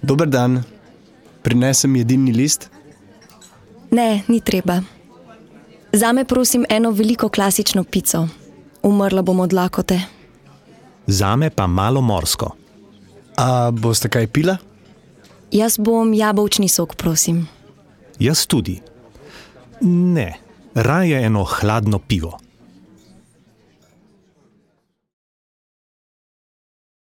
Dober dan. Prinesem jedilni list? Ne, ni treba. Zame prosim eno veliko klasično pico. Umrla bom od lakote. Zame pa malo morsko. A boste kaj pila? Jaz bom jabolčni sok, prosim. Jaz tudi. Ne, raje eno hladno pivo.